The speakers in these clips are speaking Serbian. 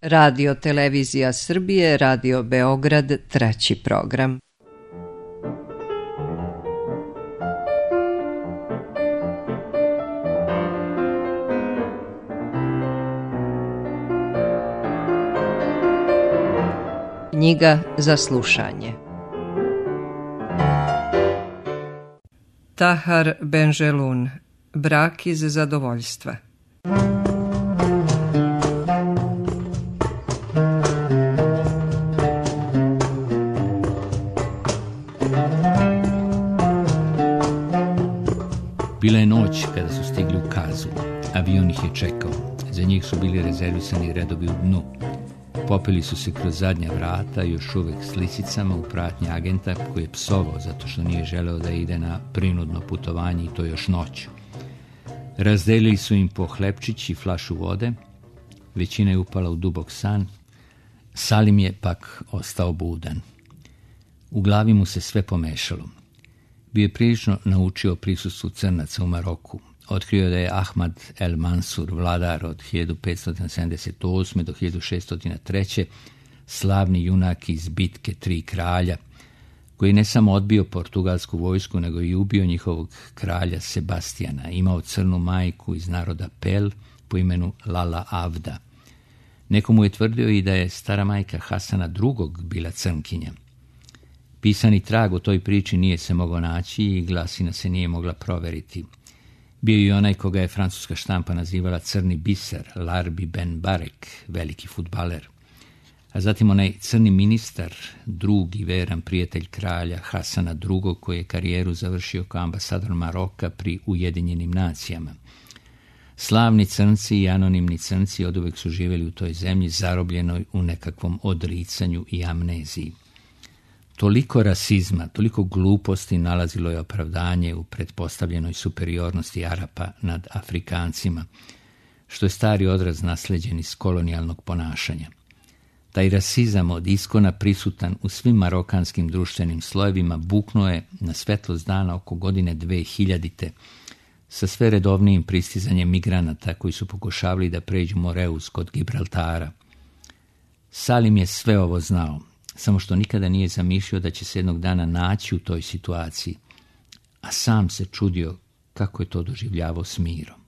Radio Televizija Srbije, Radio Beograd, treći program. Knjiga za slušanje. Tahar Benjelun, Brak iz zadovoljstva. Bila je noć kada su stigli u Kazu. Avion ih je čekao. Za njih su bili rezervisani redovi u dnu. Popeli su se kroz zadnja vrata, još uvek s lisicama u pratnji agenta koji je psovao zato što nije želeo da ide na prinudno putovanje i to još noću. Razdelili su im po hlebčić i flašu vode. Većina je upala u dubok san. Salim je pak ostao budan. U glavi mu se sve pomešalo. Bio je prilično naučio o prisustvu crnaca u Maroku. Otkrio da je Ahmad el Mansur, vladar od 1578. do 1603. slavni junak iz bitke Tri kralja, koji ne samo odbio portugalsku vojsku, nego i ubio njihovog kralja Sebastijana. Imao crnu majku iz naroda Pel po imenu Lala Avda. Nekomu je tvrdio i da je stara majka Hasana II. Bila crnkinja. Pisani trag o toj priči nije se mogao naći i glasina se nije mogla proveriti. Bio je i onaj koga je francuska štampa nazivala crni biser, Larbi Ben Barek, veliki fudbaler. A zatim onaj crni ministar, drug i veran prijatelj kralja Hasana II. Koji je karijeru završio kao ambasador Maroka pri Ujedinjenim nacijama. Slavni crnci i anonimni crnci oduvek su živjeli u toj zemlji zarobljenoj u nekakvom odricanju i amneziji. Toliko rasizma, toliko gluposti nalazilo je opravdanje u pretpostavljenoj superiornosti Arapa nad Afrikancima, što je stari odraz nasleđen iz kolonijalnog ponašanja. Taj rasizam od iskona prisutan u svim marokanskim društvenim slojevima buknuo je na svetlost dana oko godine 2000. sa sve redovnijim pristizanjem migranata koji su pokušavali da pređu Moreus kod Gibraltara. Salim je sve ovo znao, samo što nikada nije zamišljao da će se jednog dana naći u toj situaciji, a sam se čudio kako je to doživljavao s mirom.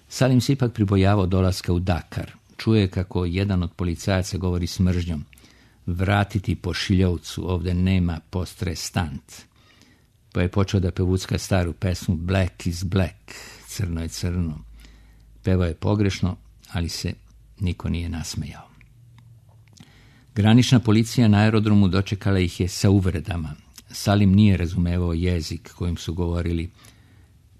Salim se ipak pribojavao dolaska u Dakar. Čuje kako jedan od policajaca govori s mržnjom: "Vratiti pošiljovcu, ovde nema postrestant." Pa je počeo da pevucka staru pesmu Black is black, crno je crno. Pevao je pogrešno, ali se niko nije nasmejao. Granična policija na aerodromu dočekala ih je sa uvredama. Salim nije razumevao jezik kojim su govorili.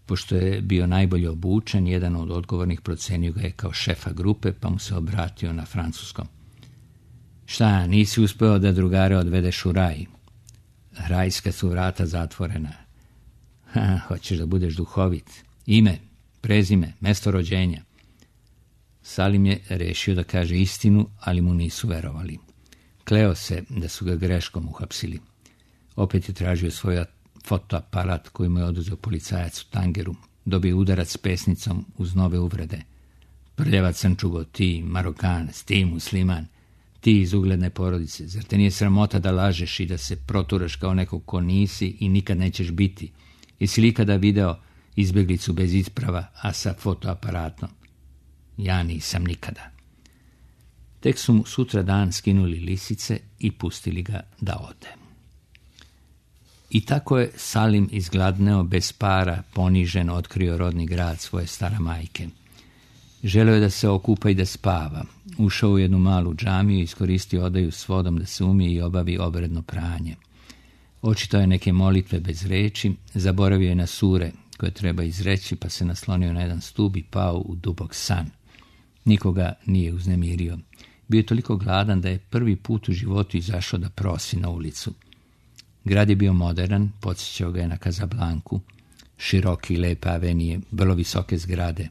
Pošto je bio najbolje obučen, jedan od odgovornih procenio ga je kao šefa grupe, pa mu se obratio na francuskom. "Šta, nisi uspeo da drugare odvedeš u raj? Rajska su vrata zatvorena." "Hoćeš da budeš duhovit? Ime, prezime, mesto rođenja." Salim je rešio da kaže istinu, ali mu nisu verovali. Kleo se da su ga greškom uhapsili. Opet je tražio svoj fotoaparat koji mu je oduzeo policajac u Tangeru. Dobio udarac s pesnicom uz nove uvrede. "Prljava crnčugo, ti Marokanac, ti musliman, ti iz ugledne porodice, zar te nije sramota da lažeš i da se proturaš kao neko ko nisi i nikad nećeš biti? Jesi li ikada video izbeglicu bez isprava, a sa fotoaparatom?" "Ja nisam nikada." Tek su mu sutra dan skinuli lisice i pustili ga da ode. I tako je Salim izgladneo, bez para, ponižen, otkrio rodni grad svoje stara majke. Želeo je da se okupa i da spava. Ušao u jednu malu džamiju i iskoristio odaju s vodom da se umije i obavi obredno pranje. Očitao je neke molitve bez reči, zaboravio je na sure koje treba izreći, pa se naslonio na jedan stub i pao u dubok san. Nikoga nije uznemirio. Bio je toliko gladan da je prvi put u životu izašao da prosi na ulicu. Grad je bio modern, podsjećao ga je na Kazablanku, široki i lepe avenije, vrlo visoke zgrade.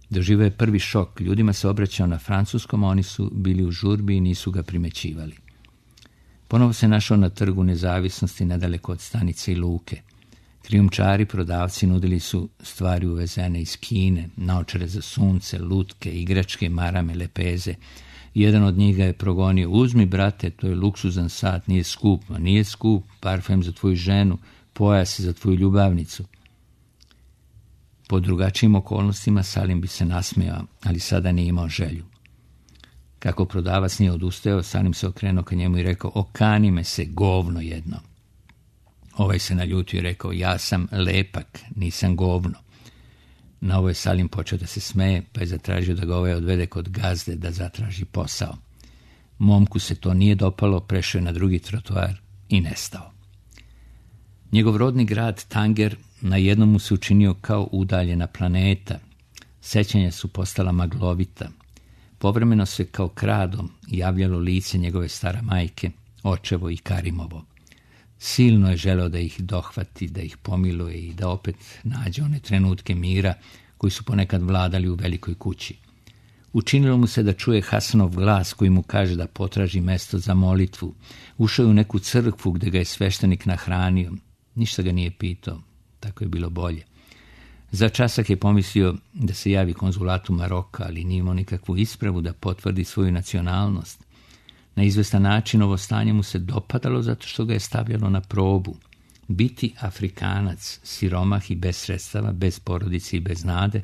Doživio je prvi šok, ljudima se obraćao na francuskom, a oni su bili u žurbi i nisu ga primećivali. Ponovo se našao na trgu Nezavisnosti nedaleko od stanice i luke. Krijumčari prodavci nudili su stvari uvezene iz Kine, naočare za sunce, lutke, igračke, marame, lepeze. Jedan od njih ga je progonio: uzmi, brate, to je luksuzan sat, nije skup. Ma nije skup, parfem za tvoju ženu, pojas za tvoju ljubavnicu. Po drugačijim okolnostima Salim bi se nasmejao, ali sada nije imao želju. Kako prodavac nije odustajao, Salim se okrenuo ka njemu i rekao: okani me se, govno jedno. Ovaj se naljutio i rekao: ja sam lepak, nisam govno. Na ovo je Salim počeo da se smeje, pa je zatražio da ga ovaj odvede kod gazde da zatraži posao. Momku se to nije dopalo, prešao je na drugi trotoar i nestao. Njegov rodni grad Tanger na jednom mu se učinio kao udaljena planeta. Sećanja su postala maglovita. Povremeno se kao kradom javljalo lice njegove stara majke, očevo i Karimovo. Silno je želeo da ih dohvati, da ih pomiluje i da opet nađe one trenutke mira koji su ponekad vladali u velikoj kući. Učinilo mu se da čuje Hasanov glas koji mu kaže da potraži mesto za molitvu. Ušao je u neku crkvu gde ga je sveštenik nahranio. Ništa ga nije pitao, tako je bilo bolje. Za časak je pomislio da se javi konzulatu Maroka, ali nije imao nikakvu ispravu da potvrdi svoju nacionalnost. Na izvestan način ovo stanje mu se dopadalo zato što ga je stavljalo na probu. Biti Afrikanac, siromah i bez sredstava, bez porodice i bez nade,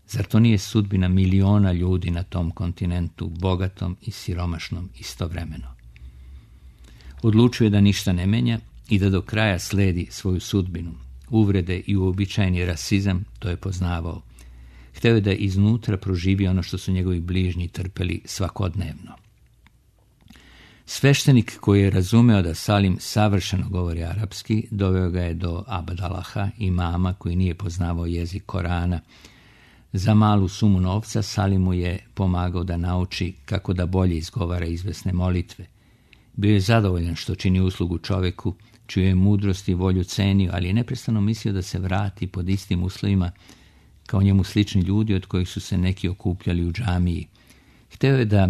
zar to nije sudbina miliona ljudi na tom kontinentu, bogatom i siromašnom istovremeno? Odlučio je da ništa ne menja i da do kraja sledi svoju sudbinu. Uvrede i uobičajeni rasizam to je poznavao. Hteo je da iznutra proživi ono što su njegovi bližnji trpeli svakodnevno. Sveštenik koji je razumeo da Salim savršeno govori arapski, doveo ga je do Abdalaha, imama koji nije poznavao jezik Korana. Za malu sumu novca Salim mu je pomagao da nauči kako da bolje izgovara izvesne molitve. Bio je zadovoljan što čini uslugu čoveku, čiju je mudrost i volju cenio, ali je neprestano mislio da se vrati pod istim uslovima kao njemu slični ljudi od kojih su se neki okupljali u džamiji. Hteo je da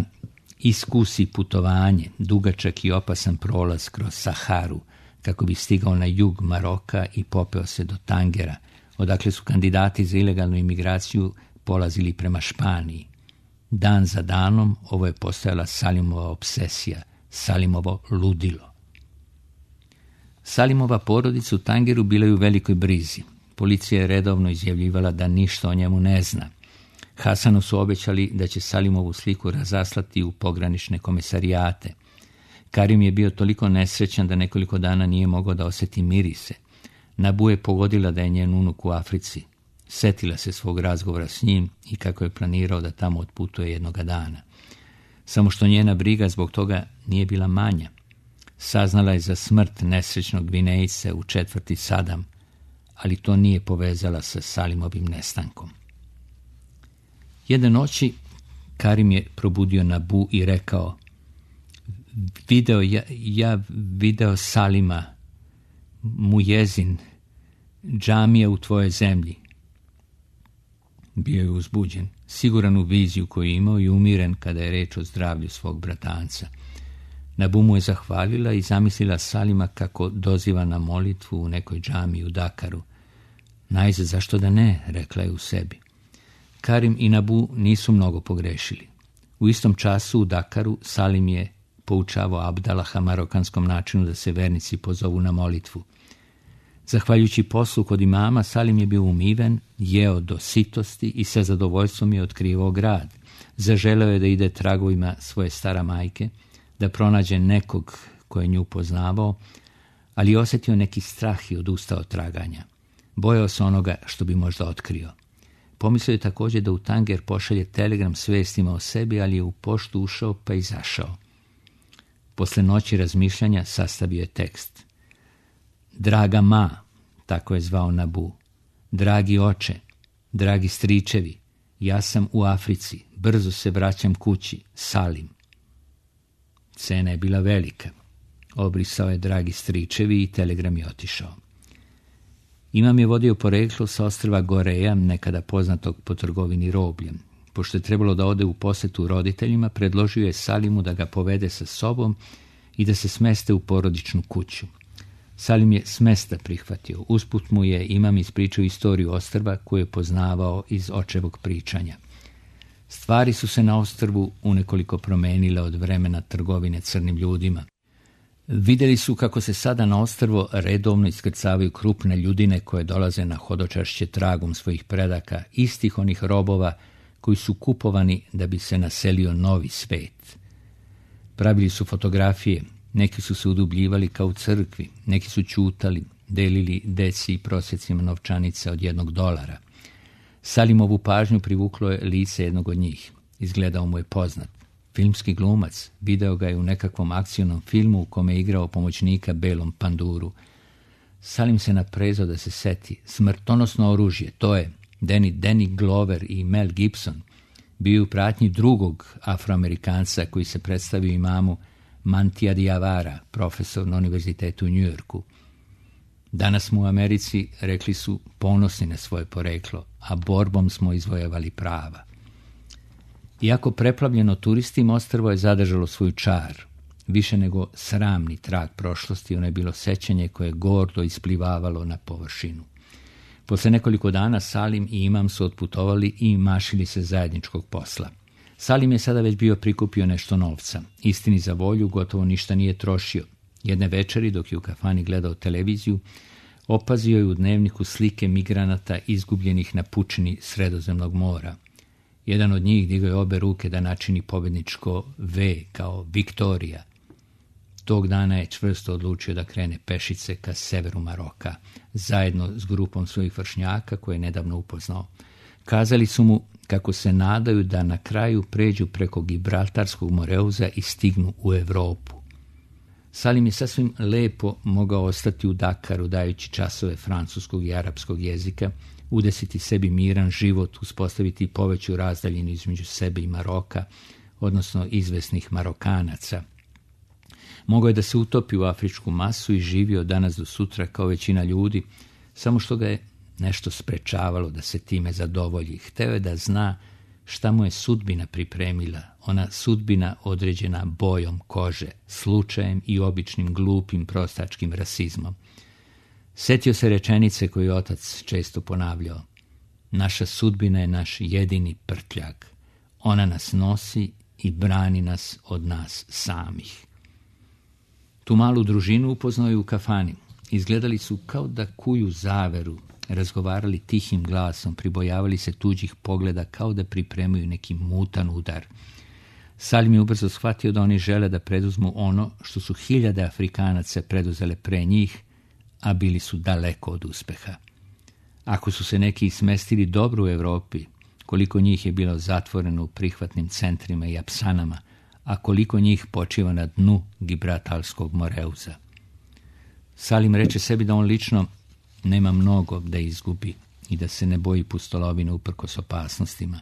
iskusi putovanje, dugačak i opasan prolaz kroz Saharu, kako bi stigao na jug Maroka i popeo se do Tangera, odakle su kandidati za ilegalnu imigraciju polazili prema Španiji. Dan za danom ovo je postajala Salimova obsesija, Salimovo ludilo. Salimova porodica u Tangeru bila je u velikoj brizi. Policija je redovno izjavljivala da ništa o njemu ne zna. Hasanu su obećali da će Salimovu sliku razaslati u pogranične komisarijate. Karim je bio toliko nesrećan da nekoliko dana nije mogao da osjeti mirise. Nabu je pogodila da je njen unuk u Africi. Setila se svog razgovora s njim i kako je planirao da tamo otputuje jednoga dana. Samo što njena briga zbog toga nije bila manja. Saznala je za smrt nesrećnog Gvinejce u četvrti Sadam, ali to nije povezala sa Salimovim nestankom. Jedne noći Karim je probudio Nabu i rekao: video Salima, Mujezin, džamija u tvojoj zemlji. Bio je uzbuđen, siguran u viziju koju je imao i umiren kada je reč o zdravlju svog bratanca. Nabu mu je zahvalila i zamislila Salima kako doziva na molitvu u nekoj džamiji u Dakaru. Najzad, zašto da ne, rekla je u sebi. Karim i Nabu nisu mnogo pogrešili. U istom času u Dakaru Salim je poučavao Abdalaha marokanskom načinu da se vernici pozovu na molitvu. Zahvaljujući poslu kod imama, Salim je bio umiven, jeo do sitosti i sa zadovoljstvom je otkrivao grad. Zaželeo je da ide tragovima svoje stara majke, da pronađe nekog koje nju poznavao, ali je osjetio neki strah i odustao od traganja. Bojao se onoga što bi možda otkrio. Pomislio je također da u Tanger pošalje telegram s vestima o sebi, ali je u poštu ušao pa izašao. Posle noći razmišljanja sastavio je tekst. Draga ma, tako je zvao Nabu, dragi oče, dragi stričevi, ja sam u Africi, brzo se vraćam kući, Salim. Cena je bila velika. Obrisao je dragi stričevi i telegram je otišao. Imam je vodio poreklo sa ostrva Goreja, nekada poznatog po trgovini robljem. Pošto je trebalo da ode u posetu roditeljima, predložio je Salimu da ga povede sa sobom i da se smeste u porodičnu kuću. Salim je smesta prihvatio. Usput mu je imam ispričao istoriju ostrva koju je poznavao iz očevog pričanja. Stvari su se na ostrvu unekoliko promenile od vremena trgovine crnim ljudima. Vidjeli su kako se sada na ostrvo redovno iskrcavaju krupne ljudine koje dolaze na hodočašće tragom svojih predaka, istih onih robova koji su kupovani da bi se naselio novi svet. Pravili su fotografije, neki su se udubljivali kao u crkvi, neki su ćutali, delili deci i prosjecima novčanica od $1. Salimovu pažnju privuklo je lice jednog od njih. Izgledao mu je poznat. Filmski glumac, video ga je u nekakvom akcionom filmu u kome je igrao pomoćnika belom panduru. Salim se naprezao da se seti. Smrtonosno oružje, to je Danny Glover i Mel Gibson. Bio u pratnji drugog Afroamerikanca koji se predstavio imamu Mantija Diavara, profesor na univerzitetu u Njujorku. Danas smo u Americi, rekli su, ponosni na svoje poreklo, a borbom smo izvojevali prava. Iako preplavljeno turistima, ostrvo je zadržalo svoju čar. Više nego sramni trag prošlosti, ono je bilo sećanje koje je gordo isplivavalo na površinu. Posle nekoliko dana Salim i imam su otputovali i mašili se zajedničkog posla. Salim je sada već bio prikupio nešto novca. Istini za volju gotovo ništa nije trošio. Jedne večeri, dok je u kafani gledao televiziju, opazio je u dnevniku slike migranata izgubljenih na pučini Sredozemnog mora. Jedan od njih digao je obe ruke da načini pobedničko V kao Viktorija. Tog dana je čvrsto odlučio da krene pešice ka severu Maroka, zajedno s grupom svojih vršnjaka koje je nedavno upoznao. Kazali su mu kako se nadaju da na kraju pređu preko Gibraltarskog moreuza i stignu u Evropu. Salim je sasvim lepo mogao ostati u Dakaru dajući časove francuskog i arapskog jezika, udesiti sebi miran život, uspostaviti poveću razdaljinu između sebe i Maroka, odnosno izvesnih Marokanaca. Mogao je da se utopi u afričku masu i živio danas do sutra kao većina ljudi, samo što ga je nešto sprečavalo da se time zadovolji. Hteo je da zna šta mu je sudbina pripremila, ona sudbina određena bojom kože, slučajem i običnim glupim prostačkim rasizmom. Setio se rečenice koju je otac često ponavljao. Naša sudbina je naš jedini prtljag. Ona nas nosi i brani nas od nas samih. Tu malu družinu upoznao je u kafani. Izgledali su kao da kuju zaveru, razgovarali tihim glasom, pribojavali se tuđih pogleda kao da pripremaju neki mutan udar. Salim je ubrzo shvatio da oni žele da preduzmu ono što su hiljade Afrikanaca preduzele pre njih, a bili su daleko od uspeha. Ako su se neki smestili dobro u Evropi, koliko njih je bilo zatvoreno u prihvatnim centrima i apsanama, a koliko njih počiva na dnu Gibraltarskog moreuza. Salim reče sebi da on lično nema mnogo da izgubi i da se ne boji pustolovine uprkos opasnostima.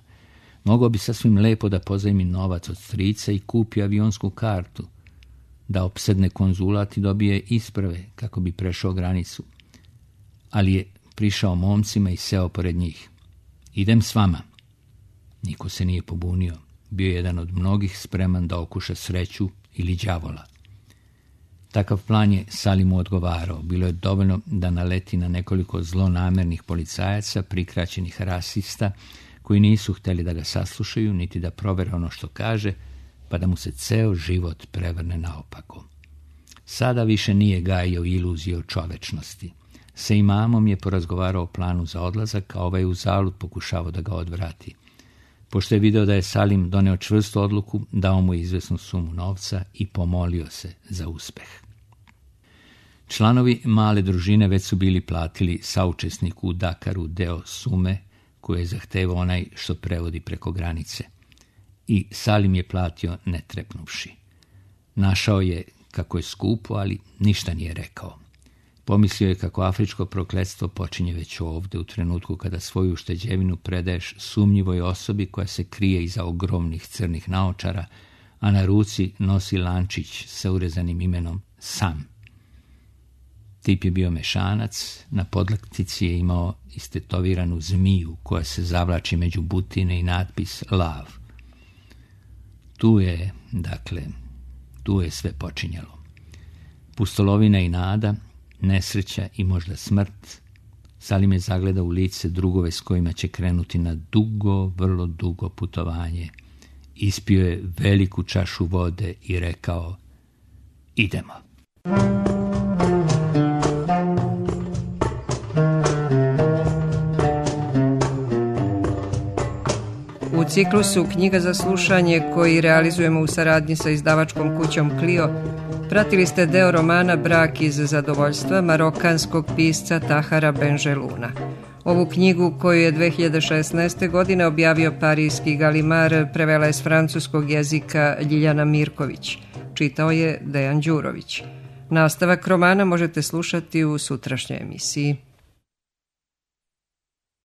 Mogao bi sasvim lepo da pozajmi novac od strica i kupi avionsku kartu, da opsedne konzulat i dobije isprave kako bi prešao granicu. Ali je prišao momcima i seo pored njih. Idem s vama. Niko se nije pobunio. Bio je jedan od mnogih spreman da okuša sreću ili đavola. Takav plan je Salimu odgovarao. Bilo je dovoljno da naleti na nekoliko zlonamernih policajaca, prikraćenih rasista, koji nisu hteli da ga saslušaju, niti da provere ono što kaže, pa da mu se ceo život prevrne naopako. Sada više nije gajio iluzije o čovečnosti. Sa imamom je porazgovarao o planu za odlazak, a ovaj uzalud pokušavao da ga odvrati. Pošto je video da je Salim doneo čvrstu odluku, dao mu izvesnu sumu novca i pomolio se za uspeh. Članovi male družine već su bili platili saučesniku u Dakaru deo sume koju je zahtevao onaj što prevodi preko granice. I Salim je platio ne trepnuvši. Našao je kako je skupo, ali ništa nije rekao. Pomislio je kako afričko prokletstvo počinje već ovde, u trenutku kada svoju ušteđevinu predaješ sumnjivoj osobi koja se krije iza ogromnih crnih naočara, a na ruci nosi lančić sa urezanim imenom Sam. Tip je bio mešanac, na podlaktici je imao istetoviranu zmiju koja se zavlači među butine i natpis Love. Tu je sve počinjalo. Pustolovina i nada, nesreća i možda smrt, Salim je zagledao u lice drugove s kojima će krenuti na dugo, vrlo dugo putovanje. Ispio je veliku čašu vode i rekao: idemo. U ciklusu Knjiga za slušanje, koji realizujemo u saradnji sa izdavačkom kućom Clio, pratili ste deo romana Brak iz zadovoljstva marokanskog pisca Tahara Benjeluna. Ovu knjigu, koju je 2016. godine objavio parijski Galimar, prevela je s francuskog jezika Ljiljana Mirković. Čitao je Dejan Đurović. Nastavak romana možete slušati u sutrašnjoj emisiji.